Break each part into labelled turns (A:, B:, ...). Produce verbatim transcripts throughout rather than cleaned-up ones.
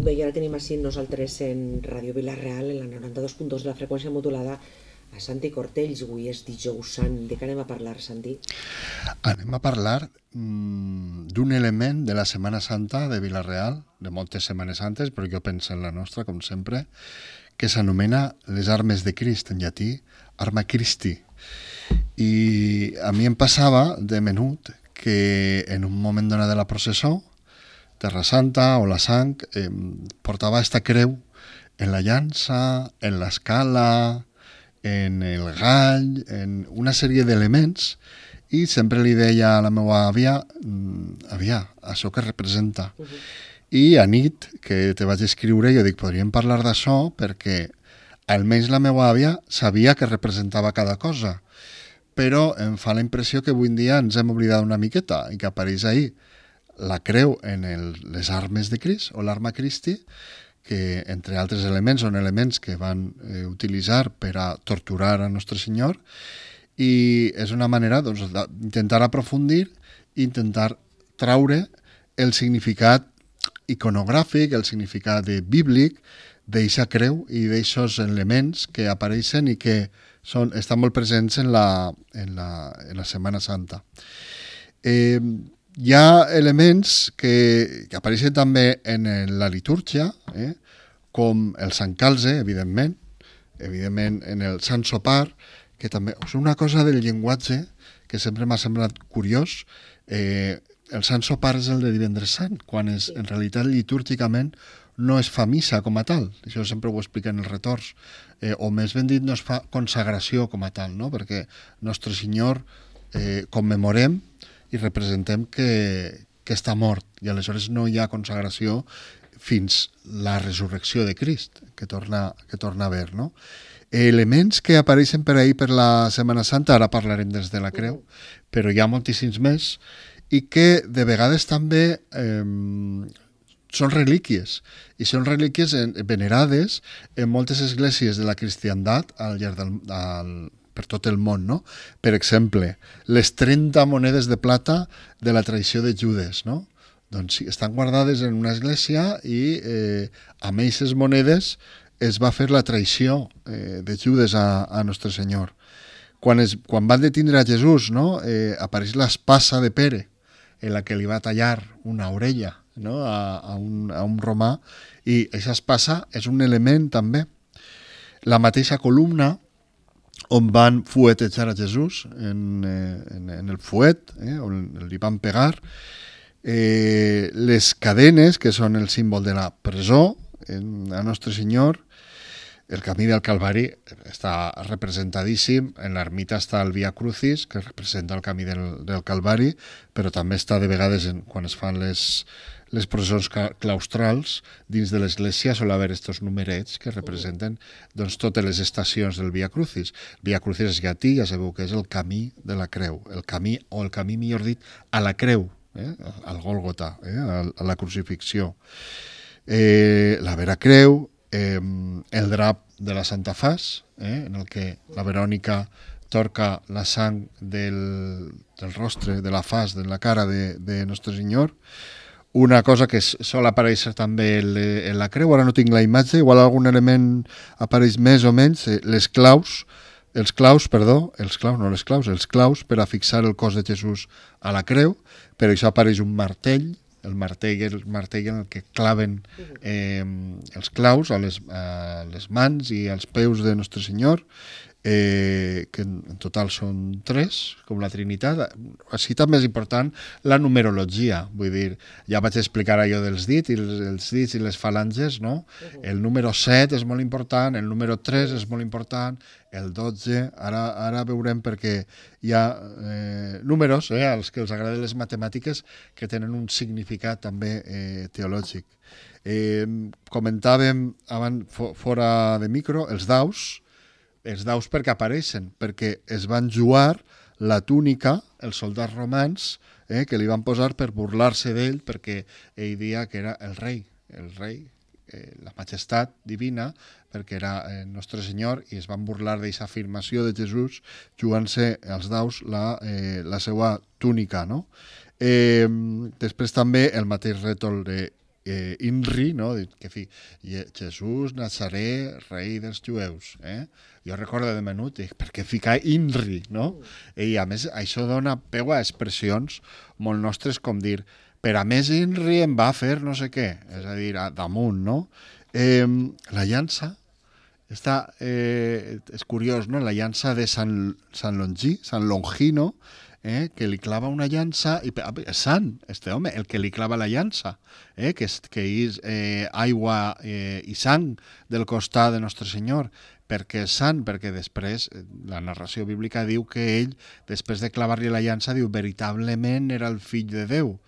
A: bé, i ara tenim així nosaltres en Ràdio Vila-real, en la noranta-dos punt dos de la freqüència modulada, a Santi Cortells. Avui és dijous sant. De què anem a parlar, Santi?
B: Anem a parlar mmm, d'un element de la Setmana Santa de Vila-real, de moltes Setmanes Santes, però jo penso en la nostra, com sempre, que s'anomena les armes de Crist, en llatí, arma Christi. I a mi em passava de menut que en un moment donat de la processó, Terra Santa o la sang, eh, portava esta creu en la llança, en l'escala, en el gall, en una sèrie d'elements, i sempre li deia a la meva àvia, àvia, això que representa. Uh -huh. I a nit, que te vaig escriure, jo dic, podríem parlar d'això perquè almenys la meva àvia sabia que representava cada cosa, però em fa la impressió que avui en dia ens hem oblidat una miqueta i que apareix ahir la creu en el, les armes de Crist o l'arma Christi, que entre altres elements són elements que van eh, utilitzar per a torturar a Nostre Senyor, i és una manera doncs, d'intentar aprofundir i intentar traure el significat iconogràfic, el significat bíblic d'eixa creu i d'eixos elements que apareixen i que són, estan molt presents en la, en la, en la Setmana Santa. Eh, Hi ha elements que, que apareixen també en la litúrgia, eh? com el Sant Calze, evidentment, evidentment en el Sant Sopar, que també és una cosa del llenguatge que sempre m'ha semblat curiós. Eh, el Sant Sopar és el de Divendres Sant, quan és, en realitat litúrgicament no es fa missa com a tal. Això sempre ho expliquen els retors. Eh, o més ben dit, no es fa consagració com a tal, no? Perquè Nostre Senyor eh, commemorem i representem que, que està mort, i aleshores no hi ha consagració fins la resurrecció de Crist, que torna, que torna a haver, no? Elements que apareixen per ahir per la Setmana Santa, ara parlarem des de la creu, però hi ha moltíssims més, i que de vegades també eh, són relíquies, i són relíquies venerades en moltes esglésies de la cristiandat al llarg del, al, per tot el món, no? Per exemple, les trenta monedes de plata de la traïció de Judes, no? Doncs sí, estan guardades en una església i eh, amb aquestes monedes es va fer la traïció eh, de Judes a, a Nostre Senyor. Quan, es, quan van detindre a Jesús, no? eh, apareix l'espasa de Pere, en la que li va tallar una orella, no? a, a, un, a un romà, i aquesta espasa és un element també. La mateixa columna on van fuetejar a Jesús en, en, en el fuet, eh, on li van pegar, eh, les cadenes, que són el símbol de la presó, en, a Nostre Senyor, el camí del Calvari està representadíssim, en l'ermita està el Via Crucis, que representa el camí del, del Calvari, però també està de vegades, en, quan es fan les, les processons claustrals, dins de l'església sol haver estos numerets que representen doncs, totes les estacions del Via Crucis. Via Crucis és llatí, ja sabeu que és el camí de la creu, el camí, o el camí, millor dit, a la creu, eh? al Gòlgota, eh? a, a la crucifixió. Eh, la Vera Creu, eh, el drap de la Santa Fas, eh? en el que la Verònica torca la sang del, del rostre, de la fas, de la cara de, de Nostre Senyor. Una cosa que sol aparèixer també en la creu, ara no tinc la imatge, igual algun element apareix més o menys, les claus, els claus, perdó, els claus, no les claus, els claus per a fixar el cos de Jesús a la creu, però això apareix un martell, el martell, el martell en el que claven eh, els claus a les, a les mans i als peus de Nostre Senyor, eh, que en total són tres, com la Trinitat. Així també és important la numerologia, vull dir, ja vaig explicar allò dels dits, i els, els dits i les falanges, no? El número set és molt important, el número tres és molt important, el dotze, ara, ara veurem perquè hi ha eh, números, eh, als que els agraden les matemàtiques, que tenen un significat també eh, teològic. Eh, comentàvem abans, fora de micro, els daus, els daus perquè apareixen, perquè es van jugar la túnica, els soldats romans, eh, que li van posar per burlar-se d'ell, perquè ell dia que era el rei, el rei, eh, la majestat divina, perquè era eh, Nostre Senyor, i es van burlar d'aquesta afirmació de Jesús jugant-se als daus la, eh, la seva túnica, no? Eh, després també el mateix rètol de eh, INRI, no? Que fi, Jesús Nazaré, rei dels jueus. Eh? Jo recordo de menut, dic, per què ficar INRI, no? I a més, això dona peu a expressions molt nostres, com dir, per a més INRI em va fer no sé què, és a dir, a, damunt, no? Eh, la llança, està, eh, és curiós, no? La llança de Sant, Sant Longí, Sant Longino, eh, que li clava una llança, i és sant, este home, el que li clava la llança, eh, que és, que és eh, aigua eh, i sang del costat de Nostre Senyor, perquè és sant, perquè després la narració bíblica diu que ell, després de clavar-li la llança, diu, veritablement era el fill de Déu,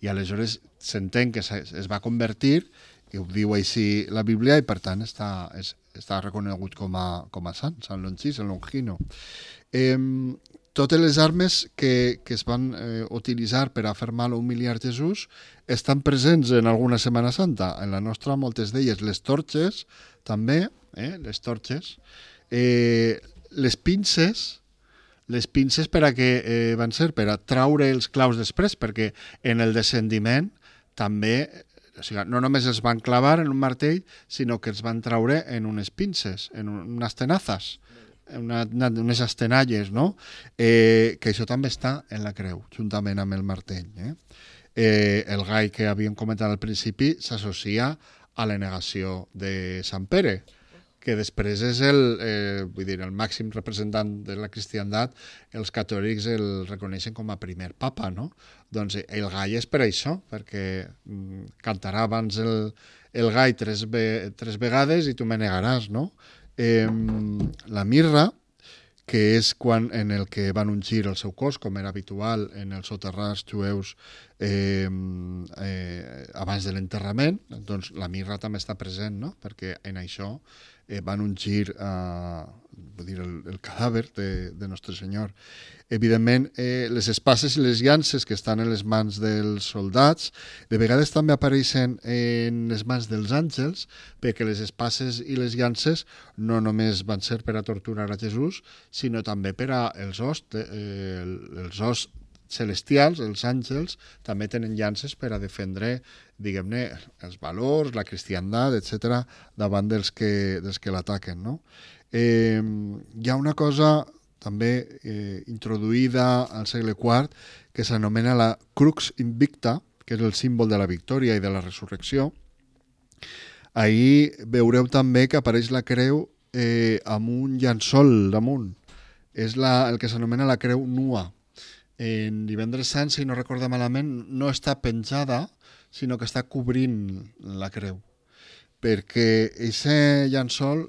B: i aleshores s'entén que es va convertir, i ho diu així la Bíblia, i per tant està, és, està reconegut com a, com a sant, Sant Longí, Sant Longino. Eh, totes les armes que, que es van eh, utilitzar per a fer mal o humiliar Jesús estan presents en alguna Setmana Santa. En la nostra, moltes d'elles, les torxes, també, eh, les torxes, eh, les pinces, les pinces per a què eh, van ser? Per a traure els claus després, perquè en el descendiment també, o sigui, no només els van clavar en un martell, sinó que els van traure en unes pinces, en un, unes tenazes, una, una, unes estenalles, no? Eh, que això també està en la creu, juntament amb el martell. Eh? Eh, el gall que havíem comentat al principi s'associa a la negació de Sant Pere, que després és el, eh, vull dir, el màxim representant de la cristiandat, els catòlics el reconeixen com a primer papa, no? Doncs el gall és per això, perquè mm, cantarà abans el, el gall tres, ve, tres vegades i tu me negaràs, no? Eh, la mirra, que és quan en el que van ungir el seu cos, com era habitual en els soterrats jueus eh, eh, abans de l'enterrament, doncs la mirra també està present, no? Perquè en això eh, van ungir eh, vull dir, el, el cadàver de, de Nostre Senyor. Evidentment, eh, les espases i les llances que estan en les mans dels soldats, de vegades també apareixen en les mans dels àngels, perquè les espases i les llances no només van ser per a torturar a Jesús, sinó també per a els hosts, eh, els hosts celestials, els àngels, també tenen llances per a defendre, diguem-ne, els valors, la cristiandat, etcètera, davant dels que, dels que l'ataquen, no? Eh, hi ha una cosa també eh, introduïda al segle quart, que s'anomena la Crux Invicta, que és el símbol de la victòria i de la resurrecció. Ahir veureu també que apareix la creu eh, amb un llençol damunt. És la, el que s'anomena la creu nua. En Divendres Sant, si no recordo malament, no està penjada, sinó que està cobrint la creu. Perquè aquest llençol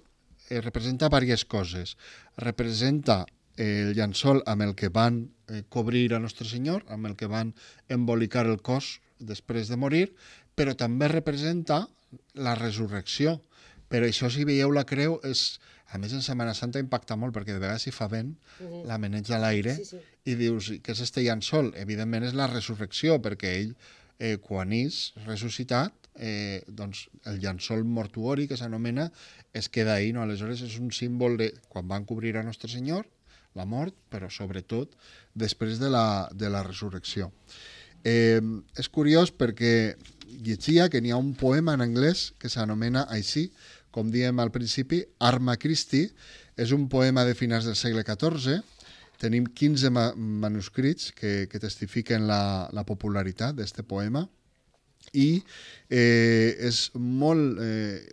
B: eh, representa diverses coses. Representa el llençol amb el que van eh, cobrir a Nostre Senyor, amb el que van embolicar el cos després de morir, però també representa la resurrecció. Per això, si veieu la creu, és, a més en Setmana Santa impacta molt, perquè de vegades si fa vent, uh-huh. la meneja a l'aire, sí, sí. I dius, què és este llençol? Evidentment és la resurrecció, perquè ell, eh, quan és ressuscitat, eh, doncs el llençol mortuori, que s'anomena, es queda ahí, no? Aleshores és un símbol de quan van cobrir a Nostre Senyor, la mort, però sobretot després de la, de la resurrecció. Eh, és curiós perquè llegia que n'hi ha un poema en anglès que s'anomena així, com diem al principi, Arma Christi. És un poema de finals del segle catorze. Tenim quinze ma- manuscrits que, que testifiquen la, la popularitat d'aquest poema. I eh, és molt eh,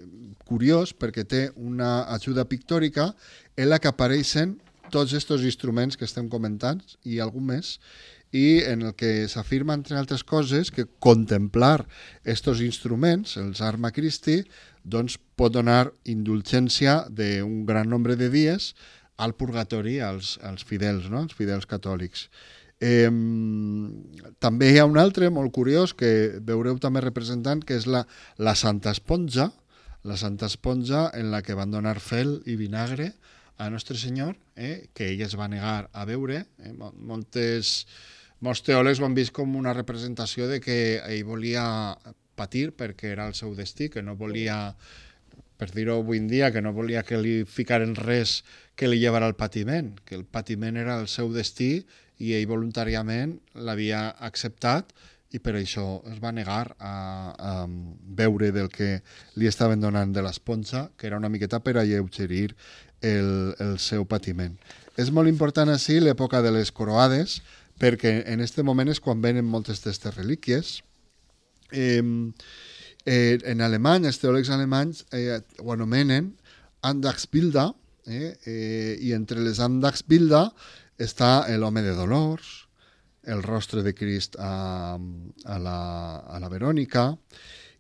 B: curiós perquè té una ajuda pictòrica en la que apareixen tots aquests instruments que estem comentant i algun més, i en el que s'afirma, entre altres coses, que contemplar aquests instruments, els Arma Christi, doncs pot donar indulgència d'un gran nombre de dies al purgatori als, als fidels, no? als fidels catòlics. Eh, també hi ha un altre molt curiós que veureu també representant, que és la, la Santa Esponja, la Santa Esponja en la que van donar fel i vinagre a Nostre Senyor, eh, que ell es va negar a beure. Eh, moltes, molts teòlegs ho han vist com una representació de que ell volia patir perquè era el seu destí, que no volia, per dir-ho avui en dia, que no volia que li ficaren res que li llevara al patiment, que el patiment era el seu destí i ell voluntàriament l'havia acceptat i per això es va negar a, a beure del que li estaven donant de l'esponja, que era una miqueta per alleugerir el, el seu patiment. És molt important així l'època de les croades, perquè en aquest moment és quan venen moltes d'aquestes relíquies. Eh, eh, en alemany, els teòlegs alemanys eh, ho anomenen Andachtsbilder, eh, eh, i entre les Andachtsbilder està l'home de dolors, el rostre de Crist a, a, la, a la Verònica,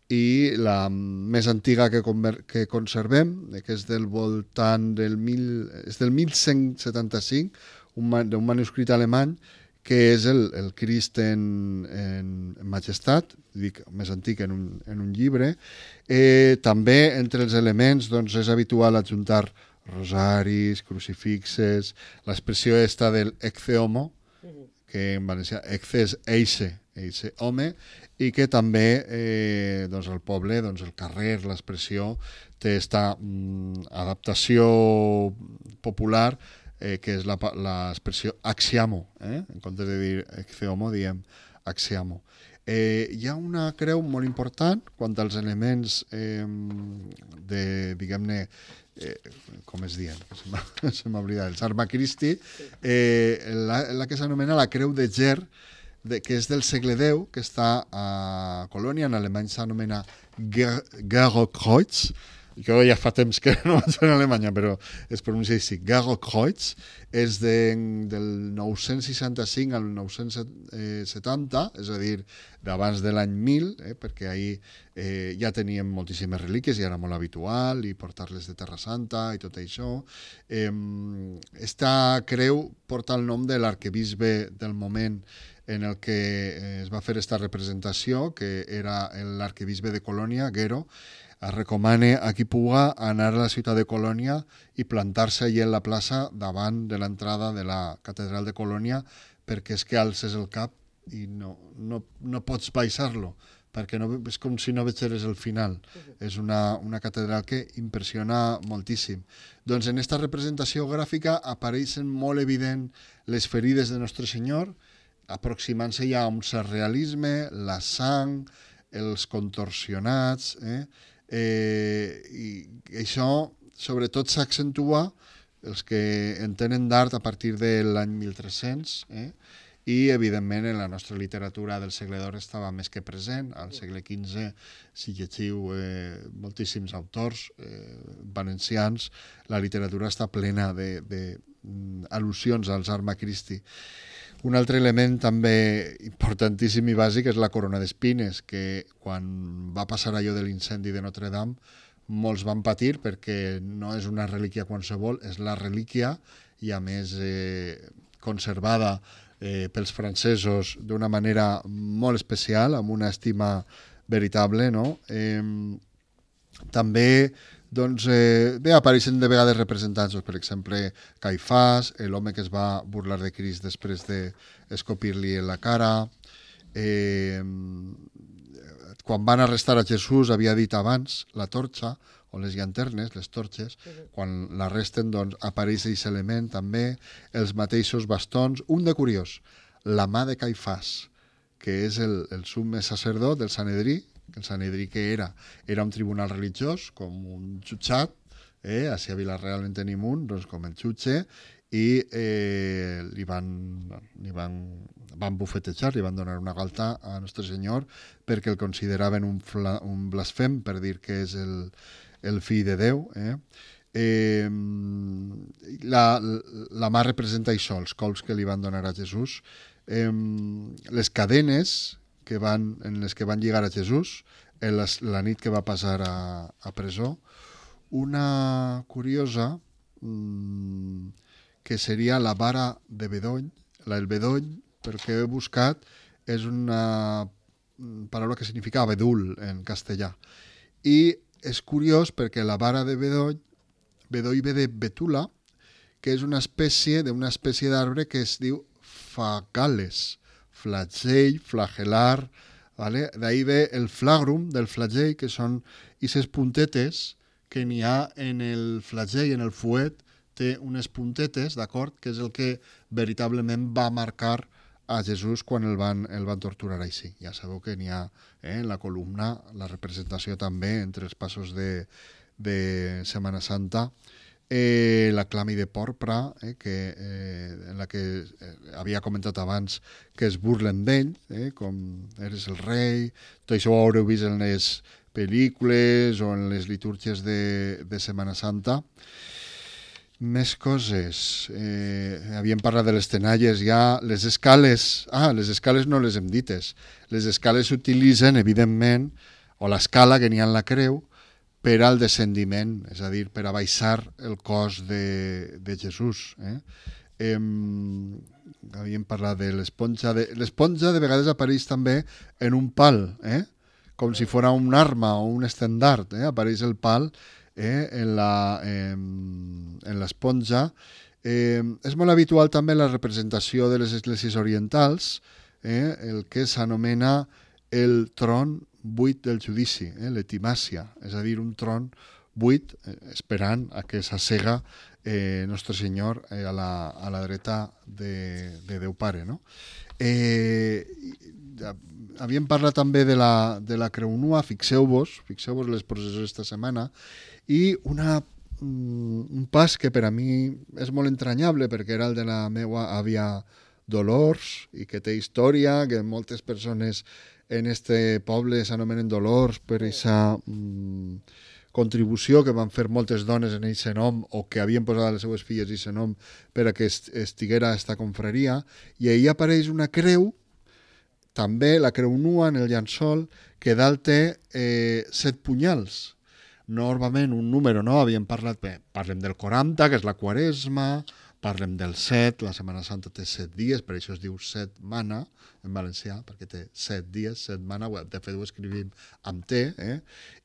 B: i la més antiga que, conver, que conservem, que és del voltant del, mil, és del mil cent setanta-cinc, un, d'un manuscrit alemany, que és el, el Crist en, en, en majestat, dic, més antic en un, en un llibre. Eh, també entre els elements doncs, és habitual adjuntar rosaris, crucifixes, l'expressió esta del ecce homo, que en valencià ecce és eixe, eixe home, i que també eh, doncs el poble, doncs el carrer, l'expressió, té esta mm, adaptació popular eh, que és l'expressió axiamo, eh? En comptes de dir ecce homo diem axiamo. Eh, hi ha una creu molt important quant als elements eh, de, diguem-ne, eh, com es diuen, se m'ha oblidat, el Arma Christi, eh, la, la que s'anomena la creu de Ger, de, que és del segle deu, que està a Colònia, en alemany s'anomena Gerokreuz, jo ja fa temps que no vaig a Alemanya, però es pronuncia així, Gerokreuz, és de, del nou-cents seixanta-cinc al nou-cents setanta, és a dir, d'abans de l'any mil, eh, perquè ahir eh, ja teníem moltíssimes relíquies i era molt habitual, i portar-les de Terra Santa i tot això. Eh, esta creu porta el nom de l'arquebisbe del moment en el que es va fer esta representació, que era l'arquebisbe de Colònia, Gero. Es recomana a qui puga anar a la ciutat de Colònia i plantar-se allà en la plaça davant de l'entrada de la catedral de Colònia, perquè és que alces el cap i no, no, no pots baixar-lo, perquè no, és com si no veiés el final. Uh-huh. És una, una catedral que impressiona moltíssim. Doncs en aquesta representació gràfica apareixen molt evident les ferides de Nostre Senyor, aproximant-se ja a un surrealisme, la sang, els contorsionats, eh? Eh, i això sobretot s'accentua els que entenen d'art a partir de l'any mil tres-cents, eh? I evidentment en la nostra literatura del segle d'or estava més que present. Al segle quinze, si llegiu eh, moltíssims autors eh, valencians, la literatura està plena de, de mm, al·lusions als Arma Christi. Un altre element també importantíssim i bàsic és la corona d'espines, que quan va passar allò de l'incendi de Notre Dame molts van patir perquè no és una relíquia qualsevol, és la relíquia i a més eh, conservada eh, pels francesos d'una manera molt especial, amb una estima veritable, no? Eh, també doncs, eh, bé, apareixen de vegades representants, doncs, per exemple, Caifàs, l'home que es va burlar de Crist després d'escopir-li en la cara. Eh, quan van arrestar a Jesús, havia dit abans, la torxa, o les llanternes, les torxes, uh-huh. Quan l'arresten, doncs, apareix aquest element també, els mateixos bastons. Un de curiós, la mà de Caifàs, que és el, el summe sacerdot del Sanedrí, que el Sanedrí que era, era un tribunal religiós, com un jutjat, eh? Així a Vila-real en tenim un, doncs com el jutge, i eh, li, van, li van, van bufetejar, li van donar una galta a Nostre Senyor perquè el consideraven un, fla, un blasfem, per dir que és el, el fill de Déu. Eh? Eh, la, la mà representa això, els colps que li van donar a Jesús. Eh, les cadenes que van, en les que van lligar a Jesús en la, la nit que va passar a, a presó. Una curiosa mmm, que seria la vara de bedoll. La, el bedoll, perquè he buscat, és una paraula que significa abedul en castellà. I és curiós perquè la vara de bedoll, bedoll ve de betula, que és una espècie d'una espècie d'arbre que es diu fagales, flagell, flagelar, ¿vale? D'ahí ve el flagrum del flagell, que són aquestes puntetes que n'hi ha en el flagell, en el fuet, té unes puntetes, d'acord? Que és el que veritablement va marcar a Jesús quan el van, el van torturar així. Ja sabeu que n'hi ha eh, en la columna la representació també entre els passos de, de Setmana Santa, eh, la clami de porpra, eh, que, eh, en la que eh, havia comentat abans que es burlen d'ell, eh, com eres el rei, tot això ho haureu vist en les pel·lícules o en les litúrgies de, de Setmana Santa. Més coses. Eh, havíem parlat de les tenalles ja. Les escales... Ah, les escales no les hem dites. Les escales s'utilitzen, evidentment, o l'escala que n'hi ha en la creu, per al descendiment, és a dir, per a baixar el cos de, de Jesús. Eh? Eh, havíem parlat de l'esponja. De, l'esponja de vegades apareix també en un pal, eh? Com si fos un arma o un estendard. Eh? Apareix el pal eh? en la, eh, en l'esponja. Eh, és molt habitual també la representació de les esglésies orientals, eh? el que s'anomena el tron buit del judici, eh? l'etimàcia, és a dir, un tron buit eh, esperant a que s'assega eh, Nostre Senyor eh, a, la, a la dreta de, de Déu Pare. No? Eh, havíem parlat també de la, de la creu nua, fixeu-vos, fixeu-vos les processions d'esta setmana, i una, un pas que per a mi és molt entranyable, perquè era el de la meva àvia Dolors, i que té història, que moltes persones en este poble s'anomenen Dolors per aquesta mm, contribució que van fer moltes dones en aquest nom, o que havien posat a les seues filles aquest nom per a que estiguera a esta confraria, i ahir apareix una creu, també la creu nua en el llençol, que dalt té eh, set punyals. Normalment un número, no? Havíem parlat, bé, parlem del quaranta, que és la Quaresma, parlem del set, la Setmana Santa té set dies, per això es diu setmana en valencià, perquè té set dies, setmana, de fet ho escrivim amb T, eh?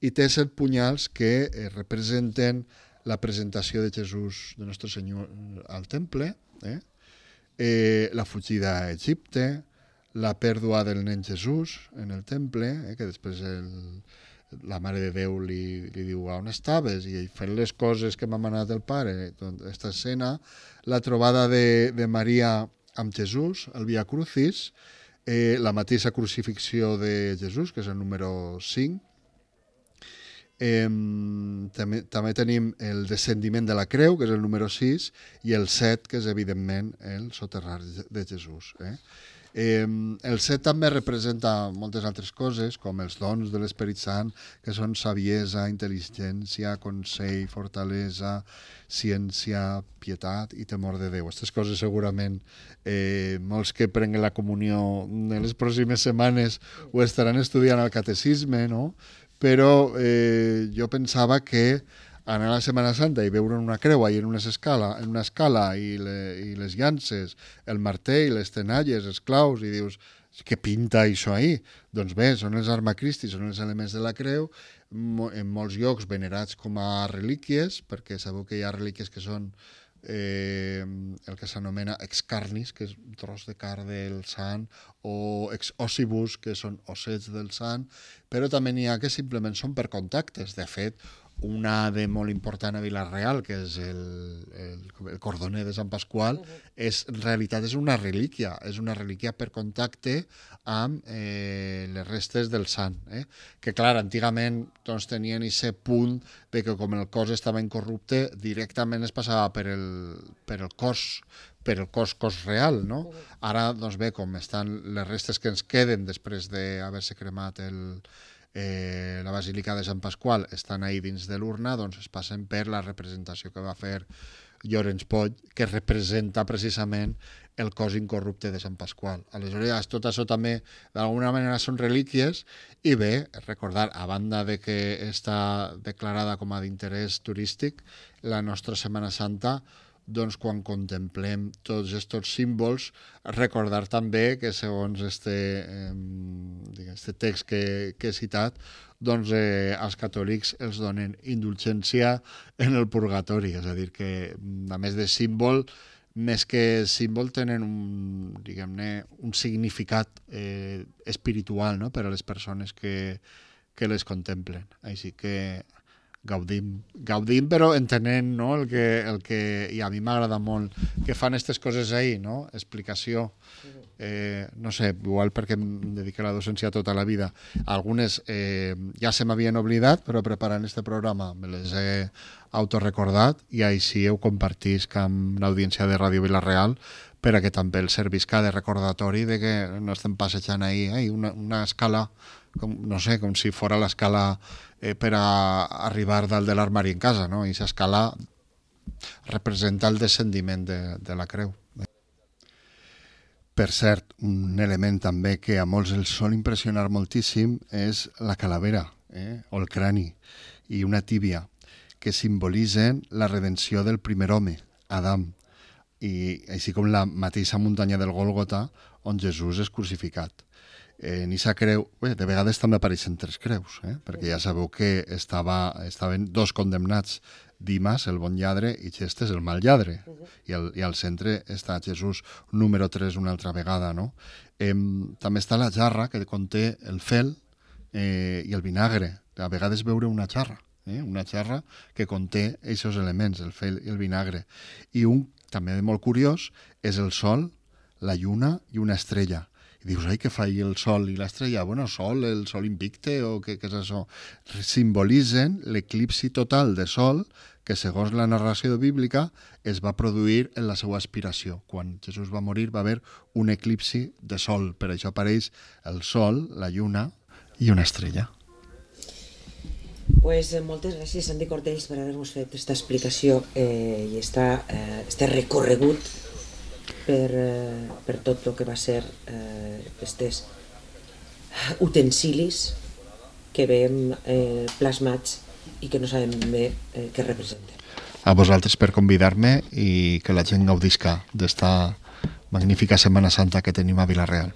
B: I té set punyals que eh, representen la presentació de Jesús, de Nostre Senyor, al temple, eh? Eh, la fugida a Egipte, la pèrdua del nen Jesús en el temple, eh? Que després el, la Mare de Déu li, li diu on estaves, i ell fent les coses que m'ha manat el pare, doncs, aquesta escena, la trobada de, de Maria amb Jesús, el Via Crucis, eh, la mateixa crucifixió de Jesús, que és el número cinc. Eh, també, també tenim el descendiment de la creu, que és el número sis, i el set, que és evidentment el soterrar de Jesús. Eh? Eh, el set també representa moltes altres coses, com els dons de l'Esperit Sant, que són saviesa, intel·ligència, consell, fortalesa, ciència, pietat i temor de Déu. Aquestes coses segurament eh, molts que prenguen la comunió en les pròximes setmanes ho estaran estudiant al catecisme, no? Però eh, jo pensava que anar a la Setmana Santa i veure una creu i en una escala, en una escala i, le, i les llances, el martell, les tenalles, els claus, i dius, què pinta això ahí? Doncs bé, són els Arma Christi, són els elements de la creu, en molts llocs venerats com a relíquies, perquè sabeu que hi ha relíquies que són eh, el que s'anomena ex carnis, que és un tros de carn del sant, o ex ossibus, que són ossets del sant, però també n'hi ha que simplement són per contactes. De fet, una de molt important a Vila-real, que és el, el, el cordoner de Sant Pasqual, uh-huh. és, en realitat és una relíquia, és una relíquia per contacte amb eh, les restes del sant. Eh? Que, clar, antigament doncs, tenien aquest punt de que com el cos estava incorrupte, directament es passava per el, per el cos, per el cos, cos real, no? Uh-huh. Ara, doncs bé, com estan les restes que ens queden després d'haver-se cremat el Eh, la Basílica de Sant Pasqual estan ahí dins de l'urna, doncs es passen per la representació que va fer Llorenç Poll, que representa precisament el cos incorrupte de Sant Pasqual. Aleshores, tot això també d'alguna manera són relíquies, i bé, recordar, a banda de que està declarada com a d'interès turístic, la nostra Setmana Santa, doncs quan contemplem tots aquests símbols, recordar també que segons este, eh, este text que, que he citat, doncs eh, als catòlics els donen indulgència en el purgatori, és a dir, que a més de símbol, més que símbol tenen un, diguem-ne, un significat eh, espiritual, no?, per a les persones que, que les contemplen. Així que gaudim, gaudim però entenent, no, el que, el que, i a mi m'agrada molt que fan aquestes coses ahir, no? Explicació. Eh, no sé, igual perquè em dedico a la docència tota la vida. Algunes eh, ja se m'havien oblidat, però preparant este programa me les he autorecordat i així ho compartisc amb l'audiència de Ràdio Vila-real per a que també el servisca de recordatori de que no estem passejant ahir eh, una, una escala, com, no sé, com si fora l'escala eh, per a arribar dalt de l'armari en casa, no? I aquesta escala representa el descendiment de, de la creu. Per cert, un element també que a molts els sol impressionar moltíssim és la calavera, eh? o el crani, i una tíbia, que simbolitzen la redenció del primer home, Adam, i així com la mateixa muntanya del Gòlgota, on Jesús és crucificat. Eh, en aquesta creu, bé, de vegades també apareixen tres creus, eh? perquè ja sabeu que estava, estaven dos condemnats, Dimas, el bon lladre, i Xestes, el mal lladre. Uh -huh. I, el, I al centre està Jesús, número tres, una altra vegada. No? Eh, també està la jarra, que conté el fel eh, i el vinagre. A vegades veure una jarra, eh? una jarra que conté aquests elements, el fel i el vinagre. I un, també molt curiós, és el sol, la lluna i una estrella. I dius, ai, què fa ahí el sol i l'estrella? Bueno, sol, el sol invicte, o què, què és això? Simbolitzen l'eclipsi total de sol que, segons la narració bíblica, es va produir en la seva aspiració. Quan Jesús va morir va haver un eclipsi de sol. Per això apareix el sol, la lluna i una estrella.
A: Pues eh, moltes gràcies, Santi Cortells, per haver-nos fet aquesta explicació eh, i esta, eh, este recorregut per, eh, per tot el que va ser eh, estes utensilis que veiem eh, plasmats i que no sabem bé eh, què representen.
B: A vosaltres per convidar-me i que la gent gaudisca d'esta magnífica Setmana Santa que tenim a Vila-real.